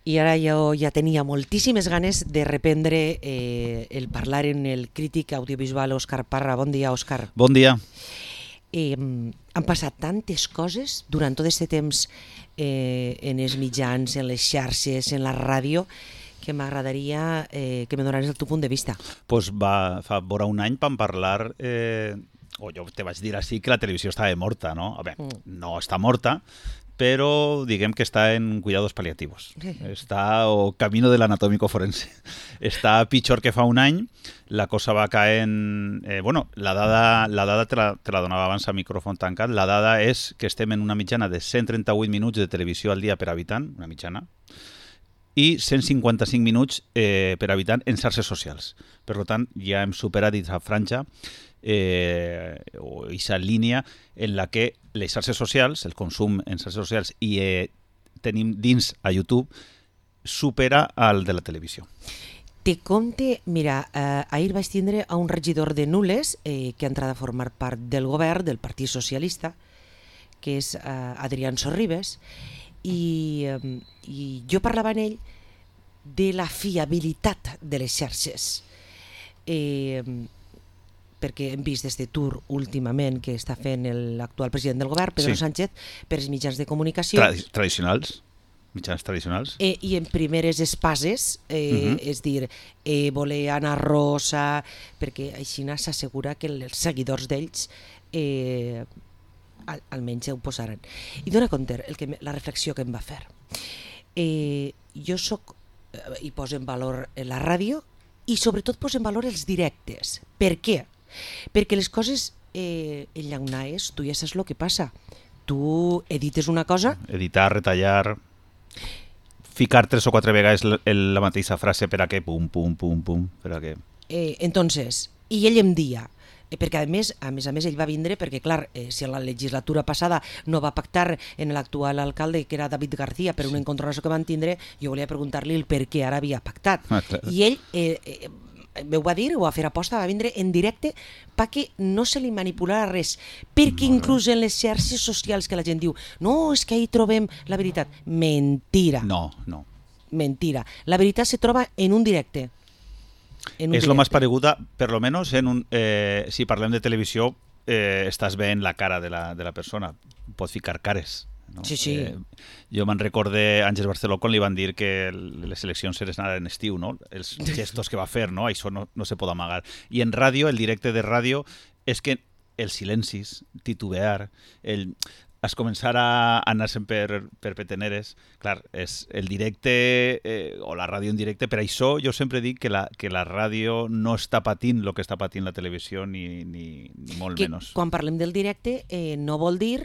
i ara jo ja tenia moltíssimes ganes de reprendre el parlar en el crític audiovisual Òscar Parra. Bon dia, Òscar. Bon dia. Han passat tantes coses durant tot aquest temps en els mitjans, en les xarxes, en la ràdio, que m'agradaria que me donares el teu punt de vista. Pues fa vora un any vam parlar, o jo te vaig dir així que la televisió estava morta, no? A veure, no està morta, però diguem que està en cuidados paliativos. Està o camino del anatómico forense. Està pitjor que fa un any. La cosa va caent... la dada te la donava abans a micròfon tancat. La dada és que estem en una mitjana de 138 minuts de televisió al dia per habitant, una mitjana, i 155 minuts per habitant en xarxes socials. Per tant, ja hem superat aquesta franja o aquesta línia en la que les xarxes socials, el consum en xarxes socials i tenim dins a YouTube supera el de la televisió. Te compte, mira, ahir vaig tindre a un regidor de Nules que ha entrat a formar part del govern del Partit Socialista, que és Adrián Sorribes, i jo parlava amb ell de la fiabilitat de les xarxes, perquè hem vist este tour últimament que està fent l'actual president del govern, Pedro Sánchez, per els mitjans de comunicació tradicionals, mitjans tradicionals, i en primeres espases, és dir, voler Ana Rosa, perquè així s'assegura que els seguidors d'ells almenys ho posaran. I dona compte la reflexió que em va fer. Jo soc, i poso en valor la ràdio, i sobretot poso en valor els directes. Per què? Perquè les coses enllaunades, tu ja saps el que passa. Tu edites una cosa... Editar, retallar, ficar 3 o 4 vegades la mateixa frase per a què, pum, pum, pum, pum, per a què. Entonces, i ell em dia, perquè a més ell va vindre perquè, clar, si a la legislatura passada no va pactar en l'actual alcalde, que era David García, per un encontronazo que van tindre, jo volia preguntar-li el per què ara havia pactat. I ell m'ho va dir, ho va fer aposta, va vindre en directe perquè no se li manipulara res, perquè inclús en les xarxes socials que la gent diu no, és que ahí trobem la veritat. Mentira. No. Mentira. La veritat se troba en un directe. És lo més pareguda, per lo menos si parlem de televisió, estàs veient la cara de la persona, pots ficar cares. No? Sí. Jo me'n recorde Àngels Barceló quan li van dir que les eleccions eren ara en estiu, no? Els gestos que va fer, no? Això no se pot amagar. I en ràdio, el directe de ràdio, és que els silencis, titubear, es començar a anar-se'n per peteneres, clar, és el directe o la ràdio en directe. Per això jo sempre dic que la ràdio no està patint el que està patint la televisió, ni molt menys. Quan parlem del directe no vol dir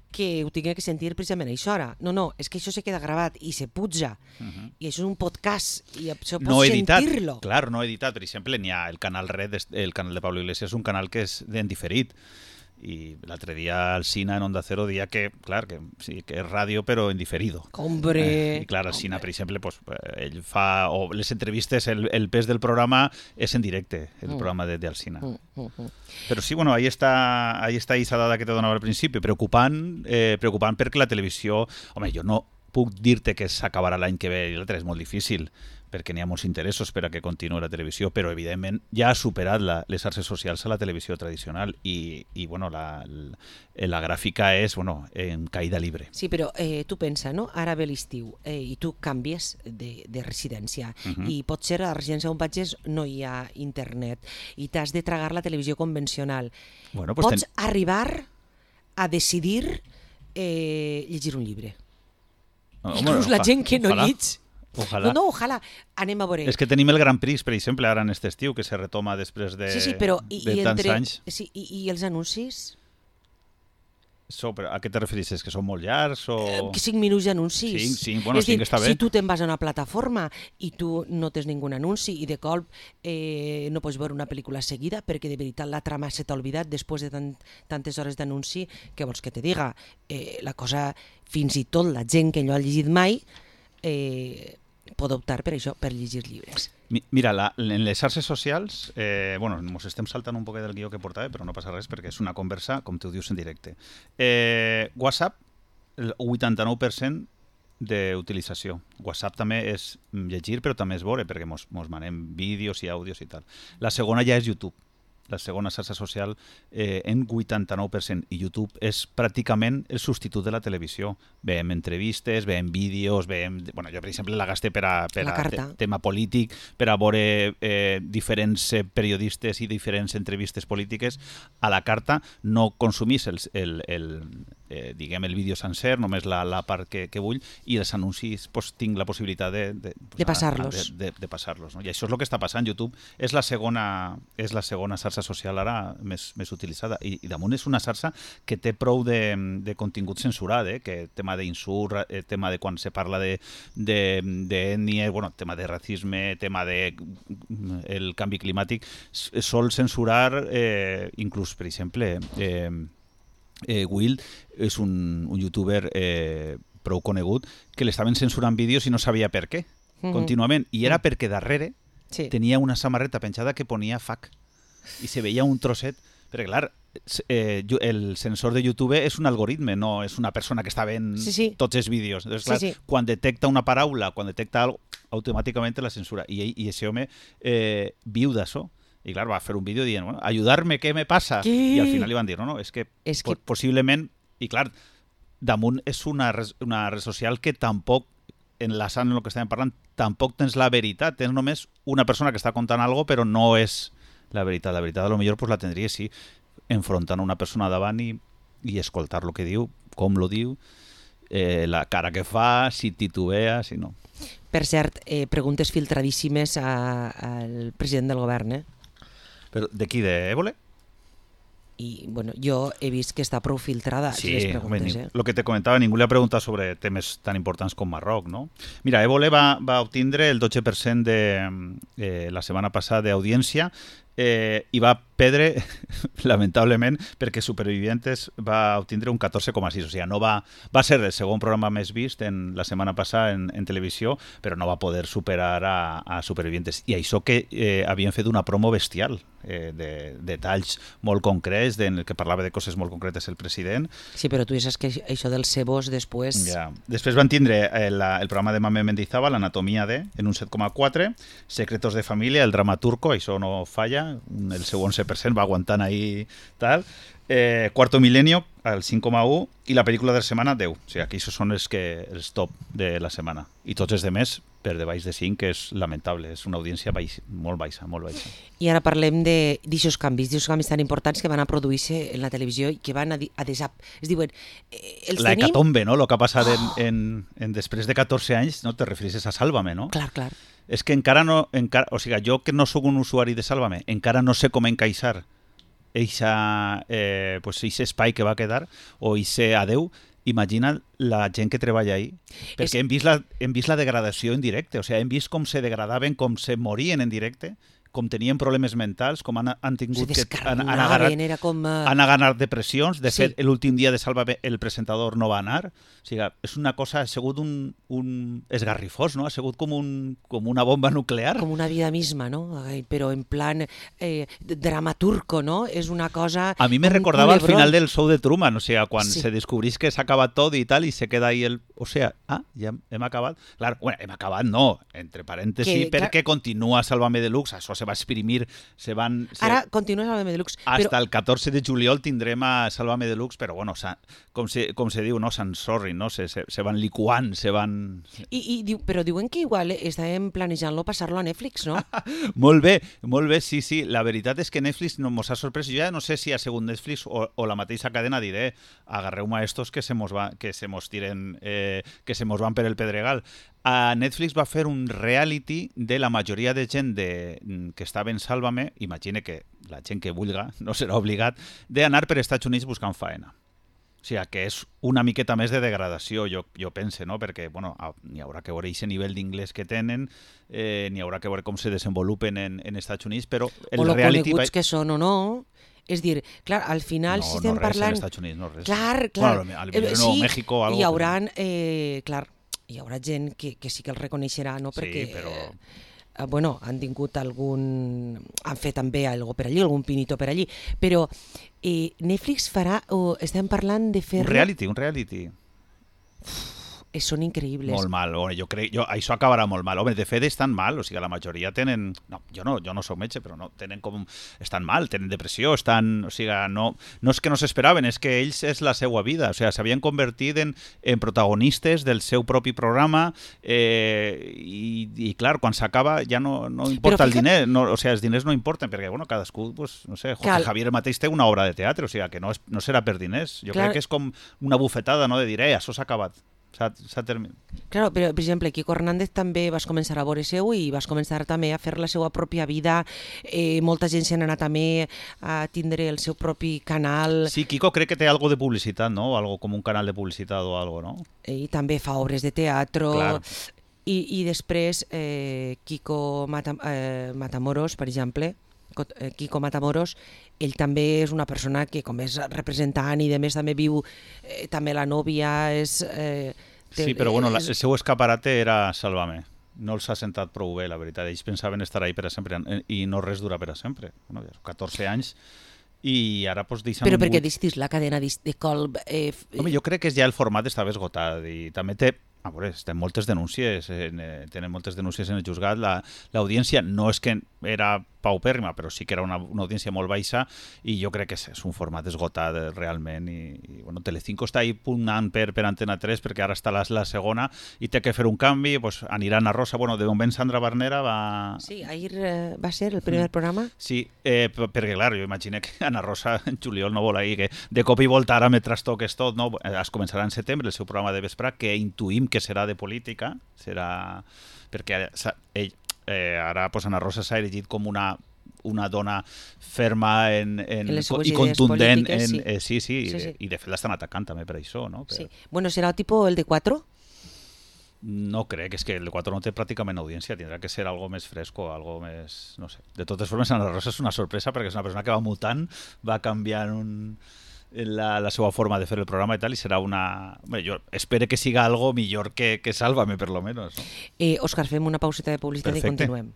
que ho tingui que sentir precisament a aquesta hora. No, és que això se queda gravat i se puja. I això és un podcast i això pots sentir-lo. Clar, no editat. Per exemple, n'hi ha el canal Red, el canal de Pablo Iglesias, és un canal que és en diferit. I l'altre dia el Sina en Onda Cero deia que, clar, que sí, que és ràdio però en diferido. Hombre! I clar, el Sina, per exemple, pues, ell fa, o les entrevistes, el pes del programa és en directe, el programa del Sina. Però sí, bueno, ahí està aquesta dada que te donava al principi, preocupant perquè la televisió... Home, jo no puc dir-te que s'acabarà l'any que ve i l'altre, és molt difícil, perquè n'hi ha molts interessos per a que continuï la televisió, però evidentment ja ha superat les xarxes socials a la televisió tradicional i bueno, la gràfica és en caïda libre. Sí, però tu pensa, no? Ara ve l'estiu i tu canvies de residència i potser a la residència on vagis no hi ha internet i t'has de tragar la televisió convencional. Bueno, pues pots arribar a decidir llegir un llibre. Inclús la gent que no llig. Ojalà. No, ojalà. Anem a veure. És que tenim el Gran Prix, per exemple, ara en aquest estiu, que se retoma després de tants anys. Sí, i els anuncis? Però a què te refereixes? Que són molt llargs? O... 5 minuts d'anuncis. Sí, bueno, sí que està bé. Si tu te'n vas a una plataforma i tu no tens ningú anunci i de colp no pots veure una pel·lícula seguida perquè de veritat la trama se t'ha oblidat després de tantes hores d'anunci, què vols que te diga? La cosa, fins i tot la gent que no ha llegit mai pot optar per això, per llegir llibres. Mira, en les xarxes socials, ens estem saltant un poquet del guió que portava, però no passa res perquè és una conversa, com tu dius, en directe. WhatsApp, el 89% d'utilització. WhatsApp també és llegir, però també és veure, perquè mos manem vídeos i àudios i tal. La segona ja és YouTube. La segona xarxa social en 89%, i YouTube és pràcticament el substitut de la televisió. Veiem entrevistes, veiem vídeos, veiem... Bueno, jo, per exemple, la gaste per a tema polític, per a veure diferents periodistes i diferents entrevistes polítiques. A la carta no consumís diguem, el vídeo sencer, només la part que vull, i els anuncis tinc la possibilitat de passar-los. De passar-los, no? I això és el que està passant. YouTube és la segona xarxa social ara més utilitzada, i damunt és una xarxa que té prou de contingut censurat, que tema d'insult, tema de quan se parla d'ètnia, bueno, tema de racisme, tema de el canvi climàtic, sol censurar inclús, per exemple, Will és un youtuber prou conegut que l'estaven censurant vídeos i no sabia per què, contínuament, i era perquè darrere tenia una samarreta penjada que ponia fuck, i se veia un trosset, perquè clar, el sensor de YouTube és un algoritme, no és una persona que està veient tots els vídeos. Entonces, clar, quan detecta una paraula, quan detecta algo, automàticament la censura. I ese home viu d'això. I clar, va fer un vídeo dient, bueno, ayudarme, què me passa? I al final li van dir, no, és que possiblement, i clar, damunt és una red social que tampoc, enlaçant en el que estàvem parlant, tampoc tens la veritat, tens només una persona que està contant alguna cosa, però no és la veritat. La veritat, a lo millor, pues, la tindria, sí, enfrontant una persona davant i escoltar el que diu, com lo diu, la cara que fa, si titubea, si no. Per cert, preguntes filtradíssimes al president del govern, Però de qui, d'Évole? I, bueno, jo he vist que està prou filtrada les preguntes. Lo que te comentava, ningú li ha preguntat sobre temes tan importants com Marroc, no? Mira, Évole va obtindre el 12% la setmana passada d'audiència, i va perdre, lamentablement, perquè Supervivientes va obtindre un 14,6, o sigui, no va ser el segon programa més vist la setmana passada en televisió, però no va poder superar a Supervivientes. I això que havien fet una promo bestial, de talls molt concrets, en el que parlava de coses molt concretes el president. Sí, però tu saps que això dels cebos després... Ja. Després van tindre el programa de Mame Mendizábal, l'Anatomia de, en un 7,4, Secretos de Família, el drama turco, això no falla, el seu 11% va aguantant ahí tal. Cuarto Milenio, al 5,1, i la pel·lícula de la setmana, 10. O sigui, aquí són els top de la setmana. I tots els demés per debaix de 5, que és lamentable, és una audiència molt baixa, molt baixa. I ara parlem d'aixòs canvis tan importants que van a produir-se en la televisió i que van a es diuen... La hecatombe, no?, el que ha passat després de 14 anys, no? Te refereixes a Sálvame, no? Clar. És que encara no... O sigui, jo que no sóc un usuari de Sálvame, encara no sé com encaixar eixe espai que va quedar, o eixe adeu. Imagina la gent que treballa ahí, perquè hem vist la degradació en directe, o sigui, hem vist com se degradaven, com se morien en directe, com tenien problemes mentals, com han tingut han agarrat depressions. De fet, l'últim dia de Sálvame el presentador no va anar. O sigui, és una cosa, ha sigut un esgarrifós, no? Ha sigut com una bomba nuclear. Com una vida misma, no? Però en plan drama turco, no? És una cosa... A mi me recordava al final del show de Truman, o sigui, quan se descobrís que s'ha acabat tot i tal, i se queda ahí el... O sigui, ja hem acabat. Clar, bueno, hem acabat no, entre parèntesis, perquè continua Sálvame Deluxe, això se va exprimir, Ara continua Sálvame Deluxe. Hasta el 14 de juliol tindrem a Sálvame Deluxe, però bueno, com se diu, no? S'ensorrin, no? Se van liquant, se van... Però diuen que igual estàvem planejant-lo passar-lo a Netflix, no? Molt bé, sí. La veritat és que Netflix mos ha sorprès. Jo ja no sé si ha sigut Netflix o la mateixa cadena, diré, agarreu-me a estos que se mos tiren, que se mos van per el pedregal. Netflix va fer un reality de la majoria de gent que estava en Sálvame. Imagine que la gent que vulga no serà obligat d'anar per Estats Units buscant faena. O sigui, que és una miqueta més de degradació, jo pense, no? Perquè n'hi haurà que veure aquest nivell d'inglès que tenen, n'hi haurà que veure com se desenvolupen en Estats Units, però el reality... O lo coneguts que són o no... És dir, clar, al final, si estem parlant... No, no res en Estats Units, no res. Clar. Bueno, a México... Hi haurà, hi haurà gent que sí que el reconeixerà, no? Perquè, sí, però... han tingut han fet també algo per allí, algun pinito per allí, però Netflix farà, o estem parlant de fer... Un reality. Són increïbles. Molt mal. Això acabarà molt mal. Home, de fet estan mal, o sigui, la majoria tenen... No, jo no soc metge, però no, tenen com... Estan mal, tenen depressió, o sigui, no és que no s'esperaven, és que ells és la seva vida, o sigui, s'havien convertit en protagonistes del seu propi programa i clar, quan s'acaba ja no importa el diner, o sigui, els diners no importen, perquè, bueno, cadascú, pues, no sé, Javier mateix té una obra de teatre, o sigui, que no serà per diners. Jo crec que és com una bufetada, no?, de dir, això s'ha acabat. S'ha terminat. Claro, però, per exemple, Quico Hernández també vas començar a veure seu i vas començar també a fer la seva pròpia vida. Molta gent s'ha anat també a tindre el seu propi canal. Sí, Quico crec que té algo de publicitat, no? Algo com un canal de publicitat o algo, no? I també fa obres de teatre. Clar. I després Quico Matamoros, per exemple, Quico Matamoros, ell també és una persona que, com és representant i a més també viu, també la nòvia és... Sí, però bueno, el seu escaparate era Sálvame. No els ha sentat prou bé, la veritat. Ells pensaven estar ahí per a sempre i no res dura per a sempre. Bueno, 14 anys i ara pues deixen... Però perquè deixis la cadena de Colb... Home, jo crec que ja el format estava esgotat i també té... A veure, tenen moltes denúncies en el juzgat. L'audiència no és que era paupèrrima, però sí que era una audiència molt baixa i jo crec que és un format esgotat realment i bueno, Telecinco està ahí pugnant per Antena 3 perquè ara està la segona i té que fer un canvi, pues, anirà Ana Rosa, bueno, de moment Sandra Barnera va... Sí, ahir va ser el primer programa? Sí, perquè clar, jo imagino que Ana Rosa en juliol no vol ahir que de cop i volta ara me trastoques tot, no? Es començarà en setembre el seu programa de vespre, que intuïm que serà de política, serà... perquè ell ara pues, Ana Rosa s'ha erigit com una dona ferma i contundent. Sí. I de fet l'estan atacant també per això. No? Sí. Bueno, serà tipus el de 4? No crec, és que el de 4 no té pràcticament audiència, tindrà que ser algo més fresco, algo més... no sé. De totes formes, Ana Rosa és una sorpresa perquè és una persona que va mutant, va canviant la seva forma de fer el programa i tal, i serà una... Bé, jo espero que siga algo millor que Sálvame, per lo menos. No? Òscar, fem una pauseta de publicitat. Perfecte. I continuem.